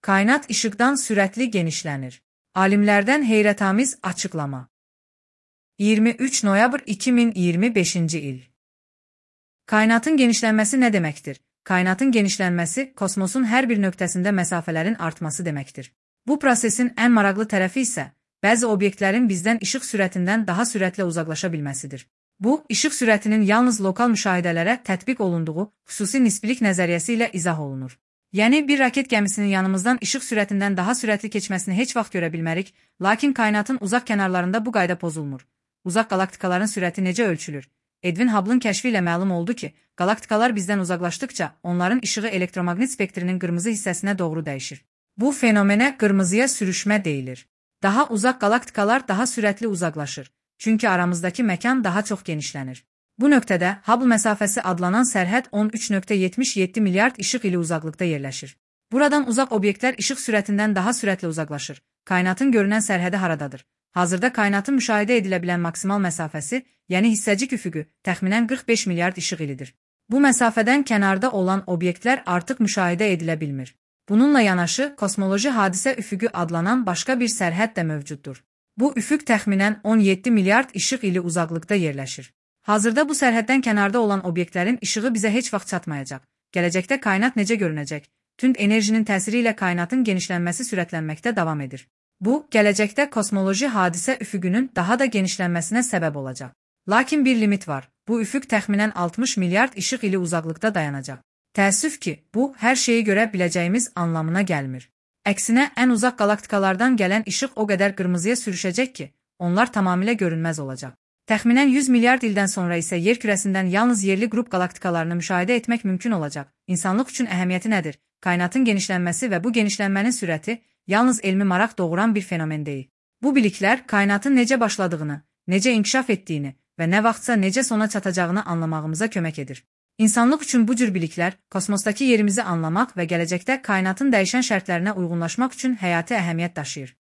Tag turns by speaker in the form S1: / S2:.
S1: Kainat işıqdan sürətli genişlənir. Alimlərdən heyrətamiz açıqlama. 23 noyabr 2025-ci il. Kainatın genişlənməsi nə deməkdir? Kainatın genişlənməsi, kosmosun hər bir nöqtəsində məsafələrin artması deməkdir. Bu prosesin ən maraqlı tərəfi isə, bəzi obyektlərin bizdən işıq sürətindən daha sürətlə uzaqlaşa bilməsidir. Bu, işıq sürətinin yalnız lokal müşahidələrə tətbiq olunduğu xüsusi nisbilik nəzəriyyəsi ilə izah olunur. Yəni, bir raket gəmisinin yanımızdan işıq sürətindən daha sürətli keçməsini heç vaxt görə bilmərik, lakin kainatın uzaq kənarlarında bu qayda pozulmur. Uzaq qalaktikaların sürəti necə ölçülür? Edwin Hubble'ın kəşfi ilə məlum oldu ki, qalaktikalar bizdən uzaqlaşdıqca onların işığı elektromaqnit spektrinin qırmızı hissəsinə doğru dəyişir. Bu fenomenə qırmızıya sürüşmə deyilir. Daha uzaq qalaktikalar daha sürətli uzaqlaşır, çünki aramızdakı məkan daha çox genişlənir. Bu nöqtədə Hubble məsafəsi adlanan sərhəd 13.77 milyard işıq ili uzaqlıqda yerləşir. Buradan uzaq obyektlər işıq sürətindən daha sürətlə uzaqlaşır. Kainatın görünən sərhədi haradadır? Hazırda kainatın müşahidə edilə bilən maksimal məsafəsi, yəni hissəcik üfüqü, təxminən 45 milyard işıq ilidir. Bu məsafədən kənarda olan obyektlər artıq müşahidə edilə bilmir. Bununla yanaşı, kosmoloji hadisə üfüqü adlanan başqa bir sərhəd də mövcuddur. Bu üfüq təxminən 17 milyard işıq ili uzaqlıqda yerləşir. Hazırda bu sərhəddən kənarda olan obyektlərin işığı bizə heç vaxt çatmayacaq. Gələcəkdə kainat necə görünəcək? Tünd enerjinin təsiri ilə kainatın genişlənməsi sürətlənməkdə davam edir. Bu, gələcəkdə kosmoloji hadisə üfüqünün daha da genişlənməsinə səbəb olacaq. Lakin bir limit var. Bu üfüq təxminən 60 milyard işıq ili uzaqlıqda dayanacaq. Təəssüf ki, bu, hər şeyi görə biləcəyimiz anlamına gəlmir. Əksinə, ən uzaq qalaktikalardan gələn işıq o qədər qırmızıya sürüşəcək ki, onlar tamamilə görünməz olacaq. Təxminən 100 milyard ildən sonra isə yer kürəsindən yalnız yerli qrup qalaktikalarını müşahidə etmək mümkün olacaq. İnsanlıq üçün əhəmiyyəti nədir? Kainatın genişlənməsi və bu genişlənmənin sürəti yalnız elmi maraq doğuran bir fenomen deyil. Bu biliklər kainatın necə başladığını, necə inkişaf etdiyini və nə vaxtsa necə sona çatacağını anlamağımıza kömək edir. İnsanlıq üçün bu cür biliklər kosmosdakı yerimizi anlamaq və gələcəkdə kainatın dəyişən şərtlərinə uyğunlaşmaq üçün həyati əhəmiyyət daşıyır.